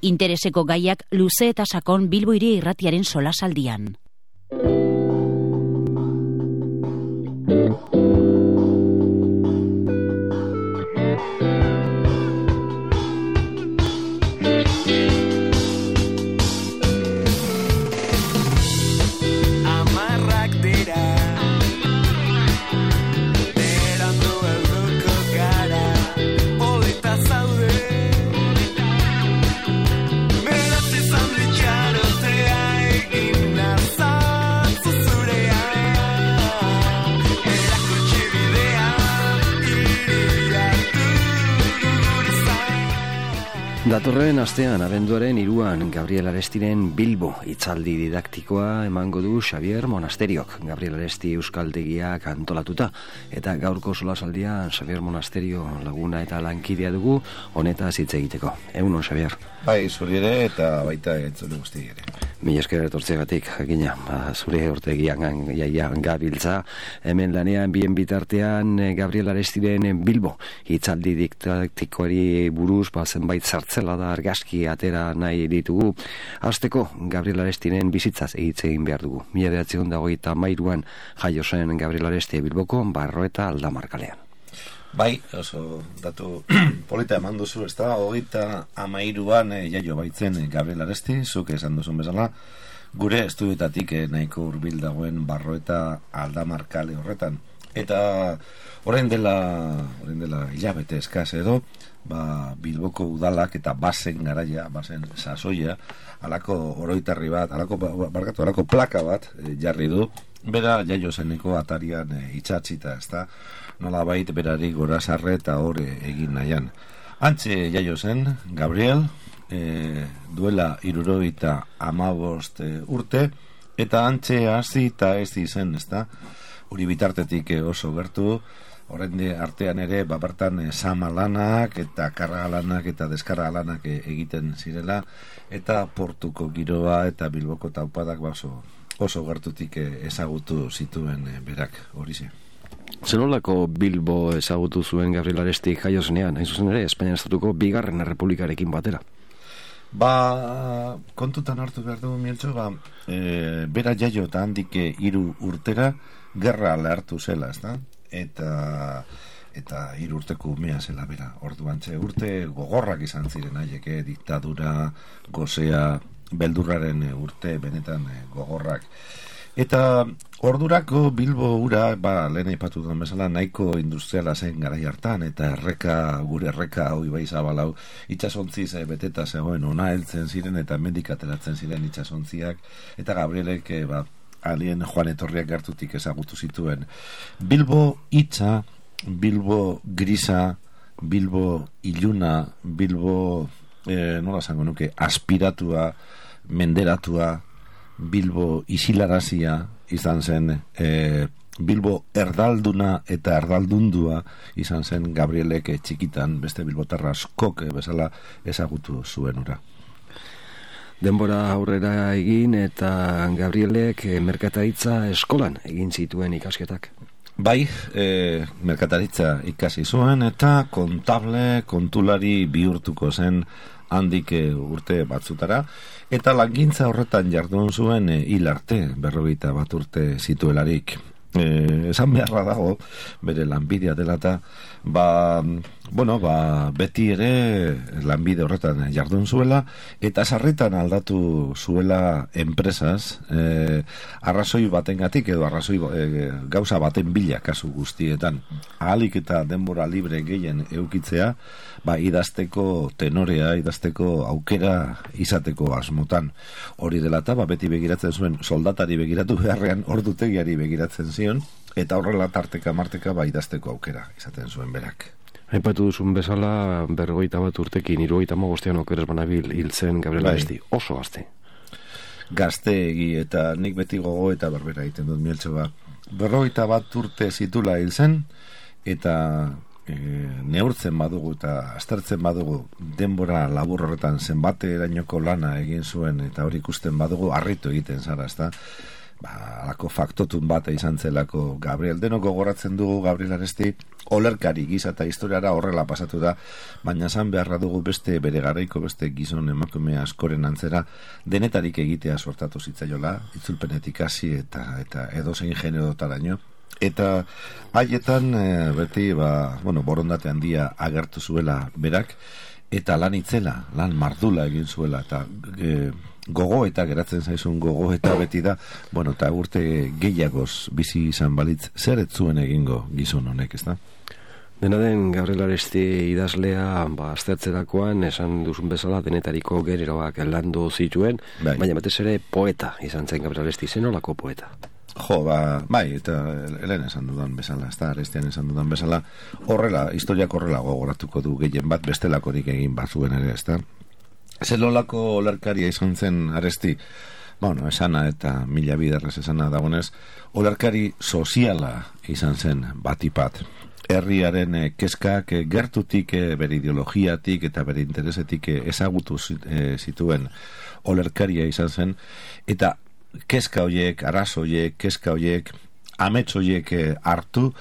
Intereseko gaiak luze eta sakon Bilbo Hiri Irratiaren solasaldian. Datorren astean, abenduaren 3an, Gabriel Arestiren Bilbo hitzaldi didaktikoa emango du Xabier Monasteriok. Gabriel Aresti euskaltegiak antolatuta. Eta gaurko solasaldian Xabier Monasterio laguna eta lankidea dugu, honetaz hitz egiteko. Egunon, Xabier. Bai, zuri ere eta baita entzule guzti ere. Mila esker etortzegatik, jakina, zure urtegian gabiltza, hemen lanean bien bitartean Gabriel Arestiren Bilbo hitzaldi didaktikoari buruz zenbait zartzela da argazki atera nahi ditugu. Hasteko Gabriel Arestiren bizitzaz hitz egin behar dugu. 1923an jaio zen Gabriel Aresti Bilboko Barroeta Aldamar kalean. Bai, oso datu polita eman duzu, ez da, 1923an jaio baitzen Gabriel Aresti, zuk esan duzun bezala, gure estudioetatik nahiko hurbil dagoen Barroeta Aldamar kale horretan. Eta orain dela hilabete eskaz edo, Bilboko udalak eta basen garaia, basen sasoia, alako oroitarri bat, alako plaka bat jarri du, bera jaio zeneko atarian itxatzita, ez da, nolabait berari gorazarre eta hore egin nahian. Antxe jaio zen, Gabriel, duela 75 urte, eta antxe hasi eta ez zen, ez da, hori bitartetik oso gertu, horrende artean ere, bertan sama lanak eta karga lanak eta deskarga lanak egiten zirela, eta portuko giroa eta Bilboko taupadak oso gertutik ezagutu zituen berak, hori ze. Zenolako Bilbo ezagutu zuen Gabriel Aresti jaio zenean, hain zuzen ere, Espainia Estatuko bigarren errepublikarekin batera? Kontutan hartu behar dugu, Mieltxo, bera jaio eta handik 3 urtera gerra lehartu zela, ez da? Eta 3 urteko umea zela bera. Orduan urte gogorrak izan ziren haiek, diktadura, gozea, beldurraren urte benetan gogorrak. Eta ordurako Bilbo ura, lehen aipatu duen bezala, nahiko industriala zen garai hartan, eta gure erreka hoi bai zabalau, itxasontziz beteta zegoen ona heltzen ziren, eta mendik ateratzen ziren itxasontziak, eta Gabrielek, alien Joan Etorriak gertutik ezagutu zituen. Bilbo hitza, Bilbo grisa, Bilbo iluna, Bilbo, nola zango nuke, aspiratua, menderatua, Bilbo isilarazia izan zen, Bilbo erdalduna eta erdaldundua izan zen Gabrielek txikitan, beste bilbotarra askok bezala ezagutu zuen ura. Denbora aurrera egin eta Gabrielek merkataritza eskolan egin zituen ikasketak. Bai, merkataritza ikasi zuen eta kontulari bihurtuko zen handik urte batzutara, eta langintza horretan jardun zuen hil arte, 51 urte zituelarik. Esan beharra dago, bere lanbidea dela eta, beti ere lanbide horretan jardun zuela, eta sarritan aldatu zuela enpresaz, arrazoi batengatik edo arrazoi gauza baten bila kasu guztietan. Ahalik eta denbora libre gehien eukitzea, idazteko tenorea, idazteko aukera izateko asmotan. Hori dela eta, beti begiratzen zuen soldatari begiratu beharrean, ordutegiari begiratzen zion, eta horrela tarteka marteka idazteko aukera izaten zuen berak. Aipatu duzun bezala, 51 urtekin, 75 okeres banabil hil zen Gabriel Aresti, oso gazte. Gazteegi, eta nik beti gogo eta berbera egiten dut, Mieltxo, 51 urte zitula hil zen, eta neurtzen badugu eta aztertzen badugu denbora labur horretan zenbate erainoko lana egin zuen, eta hori ikusten badugu harritu egiten zara, ezta? alako faktotun bat izan zelako Gabriel. Denok gogoratzen dugu Gabriel Aresti olerkari gisa eta historiara horrela pasatu da, baina esan beharra dugu beste bere garaiko beste gizon emakume askoren antzera denetarik egitea sortatu zitzaiola, itzulpenetik hasi eta edozein generotaraino. Eta haietan beti borondate handia agertu zuela berak, eta lan itzela, lan mardula egin zuela, eta gogo eta geratzen zaizun gogo eta beti da, eta urte gehiagoz bizi izan balitz, zer ez zuen egingo gizon honek, ez da? Dena den Gabriel Aresti idazlea aztertzerakoan esan duzun bezala denetariko generoak landu zituen, baina batez ere poeta izan zen Gabriel Aresti, zenolako poeta? Eta helen esan dudan bezala, ez da, Arestian esan dudan bezala, horrela, historiak horrela gogoratuko du gehien bat, bestelakorik egin bazuen ere, ez da. Zelolako olerkaria izan zen Aresti, esana eta mila biderrez esana dagonez, olerkari soziala izan zen batipat. Herriaren kezkak gertutik, bere ideologiatik eta bere interesetik ezagutu zituen olerkaria izan zen, eta kezka hoiek, arazo hoiek, kezka hoiek, amets hoiek hartu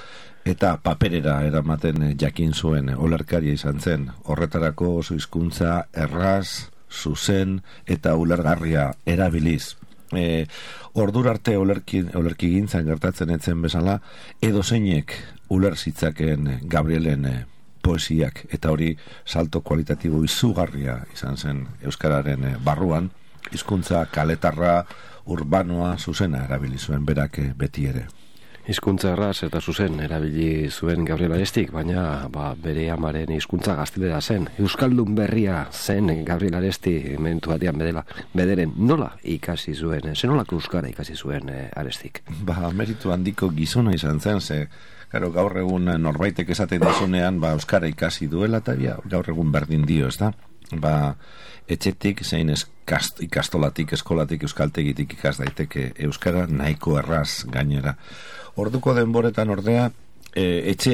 eta paperera eramaten jakin zuen olerkaria izan zen. Horretarako oso hizkuntza erraz, zuzen eta ulergarria erabiliz. Ordura arte olerki gintzan gertatzen etzen bezala, edozeinek uler zitzaken Gabrielen poesiak, eta hori salto kualitatibo izugarria izan zen euskararen barruan, hizkuntza kaletarra, urbanoa, zuzena erabili zuen berak beti ere. Hizkuntza erraz eta zuzen erabili zuen Gabriel Arestik, baina bere amaren hizkuntza gaztelera zen. Euskaldun berria zen Gabriel Aresti momentu batean bederen nola ikasi zuen, zenolako euskara ikasi zuen Arestik? Meritu handiko gizona izan zen, gaur egun norbaitek esaten dizunean euskara ikasi duela, eta gaur egun berdin dio, ez da? Etxetik, zein ikastolatik, eskolatik, euskaltegitik ikas daiteke euskara nahiko erraz gainera. Orduko denboretan ordea, etxe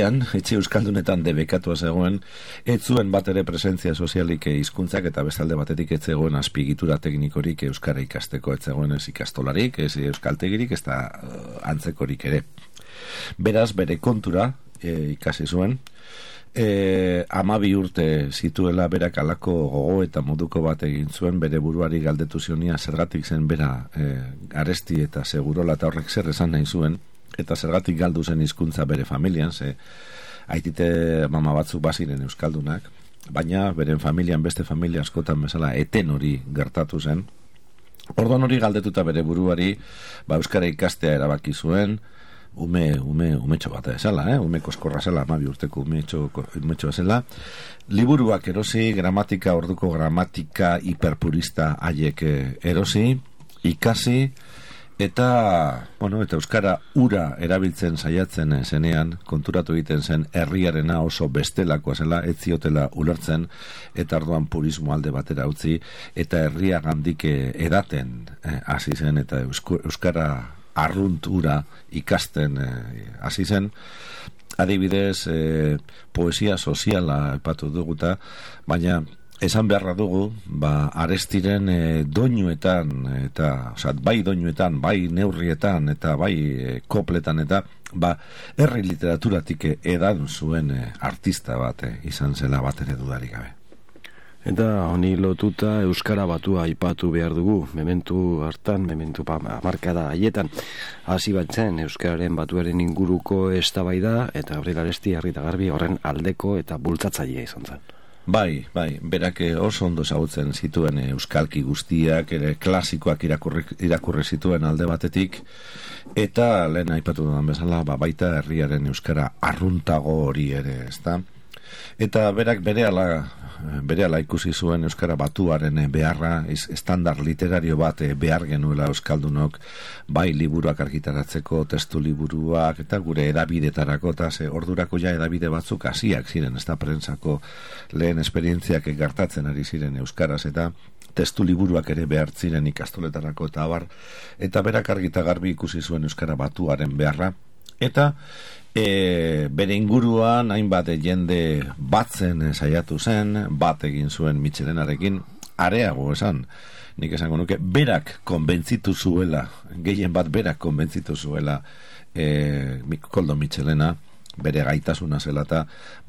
euskaldunetan debekatua zegoen, ez zuen bat ere presentzia sozialik hizkuntzak eta bestalde batetik ez zegoen azpigitura teknikorik euskara ikasteko, ez zegoen ez ikastolarik, ez euskaltegirik, ez da antzekorik ere. Beraz, bere kontura ikasi zuen, 12 urte zituela berak alako gogo eta moduko bat egin zuen, bere buruari galdetu zionia zergatik zen bera Aresti eta Segurola eta horrek zer esan nahi zuen, eta zergatik galdu zen hizkuntza bere familian, aitite mama batzuk baziren euskaldunak, baina beren familian beste familia askotan bezala eten hori gertatu zen. Orduan hori galdetuta bere buruari euskara ikastea erabaki zuen, umetxo bat ezala, ume koskorra zela, 12 urteko umetxo zela, liburuak erosi, orduko gramatika hiperpurista haiek erosi, ikasi, eta euskara ura erabiltzen saiatzen zenean, konturatu egiten zen herriarena oso bestelakoa zela, ez ziotela ulertzen, eta orduan purismo alde batera utzi, eta herria gandik edaten hasi zen, eta euskara arruntura ikasten hasi zen. Adibidez, poesia soziala epatu duguta, baina esan beharra dugu, Arestiren doinuetan, bai doinuetan, bai neurrietan, eta bai kopletan, eta herri literaturatik edan zuen artista bat izan zela bat ere dudarik gabe. Eta honi lotuta euskara batua aipatu behar dugu, mementu markada haietan, hasi batzen euskararen batuaren inguruko eztabaida eta Gabriel Aresti harri eta garbi horren aldeko eta bultzatzailea izan zen. Bai, berak oso ondo ezagutzen zituen euskalki guztiak, ere klasikoak irakurri zituen alde batetik, eta lehen aipatu dudan bezala, baita herriaren euskara arruntago hori ere, ezta? Eta berak berehala ikusi zuen euskara batuaren beharra, estandar literario bat behar genuela euskaldunok, bai liburuak argitaratzeko, testu liburuak, eta gure edabidetarako, eta ordurako edabide batzuk hasiak ziren, ez da prentsako lehen esperientziak gertatzen ari ziren euskaraz, eta testu liburuak ere behar ziren ikastoletarako eta abar, eta berak argita garbi ikusi zuen euskara batuaren beharra, eta bere inguruan hainbat jende batzen saiatu zen, bat egin zuen Mitxelenarekin, areago esan, nik esango nuke, berak konbentzitu zuela, gehien bat berak konbentzitu zuela Koldo Mitxelena, bere gaitasuna zela eta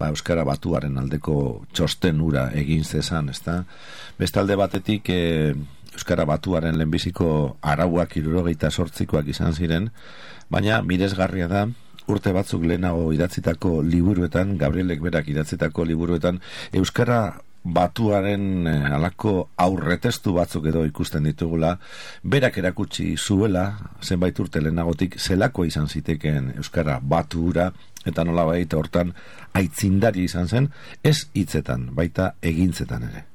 euskara batuaren aldeko txosten ura egin zezan, ezta? Bestalde batetik euskara batuaren lehenbiziko arauak 78koak izan ziren, baina miresgarria da urte batzuk lehenago idatzitako liburuetan, Gabrielek berak idatzitako liburuetan, euskara batuaren alako aurretestu batzuk edo ikusten ditugula, berak erakutsi zuela, zenbait urte lehenagotik, zelako izan zitekeen euskara batura, eta nolabait hortan aitzindari izan zen, ez hitzetan, baita egintzetan ere.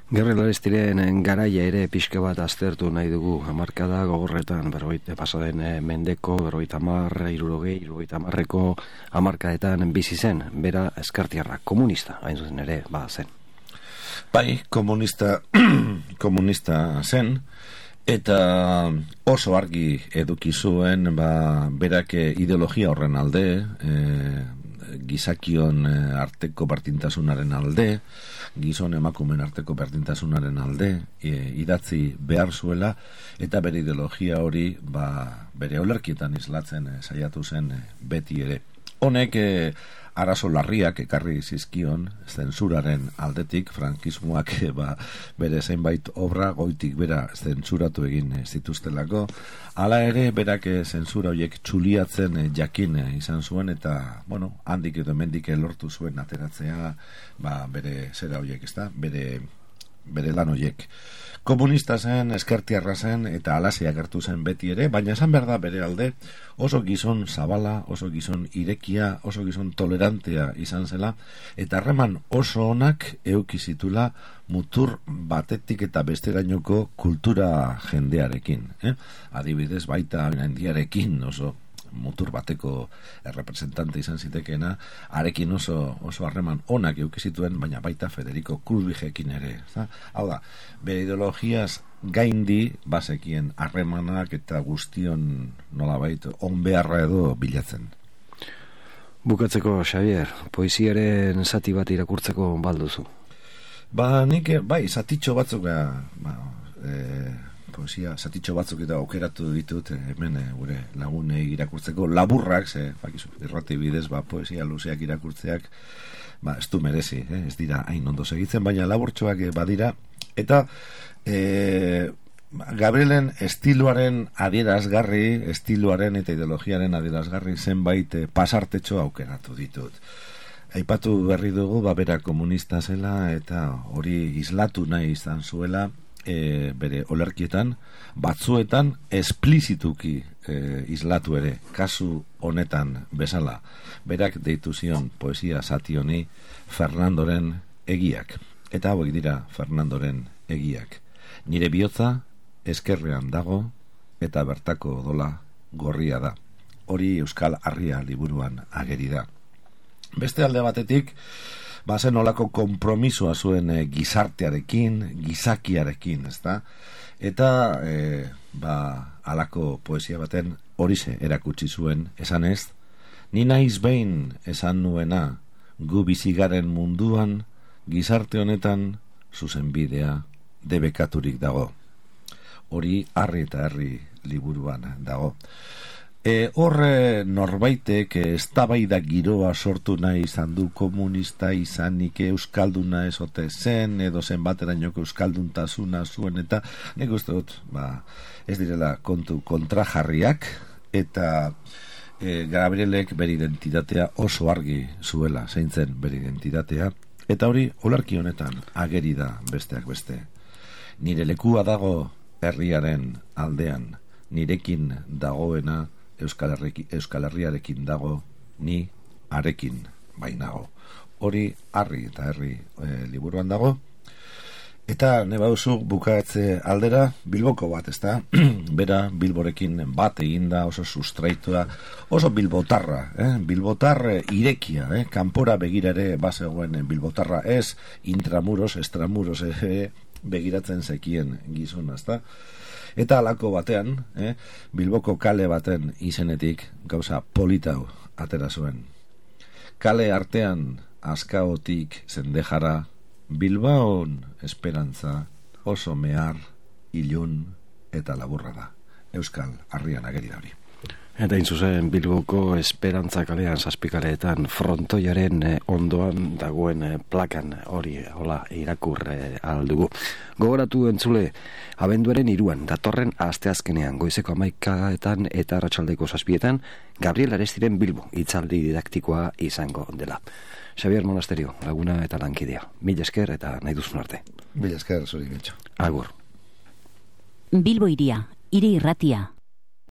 Gabriel Arestiren garaia ere pixka bat aztertu nahi dugu, hamarkada gogorretan, pasaden mendeko, 50-60ko hamarkadetan bizi zen, bera eskartiarra, komunista, hain zuzen ere, zen. Bai, komunista zen, eta oso argi eduki zuen, berak ideologia horren alde, gizakion arteko berdintasunaren alde, gizon emakumeen arteko berdintasunaren alde idatzi behar zuela, eta bere ideologia hori bere olerkietan islatzen saiatu zen beti ere. Honek arazo larriak ekarri zizkion zentsuraren aldetik, frankismoak bere zenbait obra goitik bera zentzuratu egin zituztelako. Hala ere, berak zentzura horiek txuliatzen jakin izan zuen, eta, handik edo mendik lortu zuen ateratzea, bere zera horiek, ezta? Bere lan horiek. Komunista zen, eskertiarra zen, eta alasia agertu zen beti ere, baina esan behar da bere alde, oso gizon zabala, oso gizon irekia, oso gizon tolerantea izan zela, eta harreman oso onak eukizitula mutur batetik eta besterainoko kultura jendearekin. Adibidez, baita indiarekin oso mutur bateko representante izan zitekeena, arekin oso harreman onak eukizituen, baina baita Federico Krulbigekin ere. Hau da, bere ideologiaz gaindi bazekien harremanak eta guztion nolabait onbeharra edo bilatzen. Bukatzeko, Xavier, poesiaren zati bat irakurtzeko balduzu? Nik, zatitxo batzuk poesia, zatitxo batzuk eta aukeratu ditut hemen gure lagunei irakurtzeko laburrak, irrati bidez poesia luzeak irakurtzeak ez du merezi, ez dira hain ondo segitzen, baina laburtxoak badira, eta Gabrielen estiloaren adierazgarri, estiloaren eta ideologiaren adierazgarri zenbait pasartetxo aukeratu ditut. Aipatu berri dugu, bera komunista zela eta hori islatu nahi izan zuela, bere olerkietan, batzuetan esplizituki islatu ere, kasu honetan bezala. Berak deitu zion poesia zati honi Fernandoren egiak. Eta hauek dira Fernandoren egiak. Nire bihotza eskerrean dago eta bertako odola gorria da. Hori Euskal Harria liburuan ageri da. Beste alde batetik, zen olako konpromisoa zuen gizartearekin, gizakiarekin, ezta? Eta alako poesia baten horixe erakutsi zuen, esanez, ni naiz behin esan nuena gu bizigaren munduan, gizarte honetan zuzenbidea debekaturik dago. Hori Harri eta Herri liburuan dago. Horre norbaitek eztabaida giroa sortu nahi izan du, komunista izanik euskalduna ezote zen, edo zen baterainoko euskalduntasuna zuen, eta nik uste dut ez direla kontu kontrajarriak, eta Gabrielek bere identitatea oso argi zuela, zein zen bere identitatea, eta hori olarki honetan ageri da besteak beste. Nire lekua dago herriaren aldean, nirekin dagoena Euskal Herriarekin dago, ni arekin bainago. Hori Harri eta Herri liburuan dago. Eta nebauzu bukatze aldera Bilboko bat, ezta? Bera Bilborekin bat eginda, oso sustraitua, oso bilbotarra, bilbotar irekia, kanpora begira ere bazegoen bilbotarra, ez intramuros, extramuros begiratzen zekien gizona, ezta? Eta halako batean, Bilboko kale baten izenetik gauza politau atera zuen. Kale artean Azkaotik Zendejara Bilbaon esperantza oso mehar, ilun eta laburra da. Euskal Harrian ageri da hori. Eta inzuzen Bilboko Esperantza kalean zazpikaleetan frontoiaren ondoan dagoen plakan hori hola irakur aldugu. Gogoratu entzule, abenduaren 3 datorren asteazkenean goizeko 11etan eta arratsaldeko 7etan Gabriel Arestiren Bilbo hitzaldi didaktikoa izango dela. Xabier Monasterio, laguna eta lankidea. Mila esker eta nahi duzun arte. Mila esker, zuri Getxo. Agur. Bilbo iria, hiri irratia.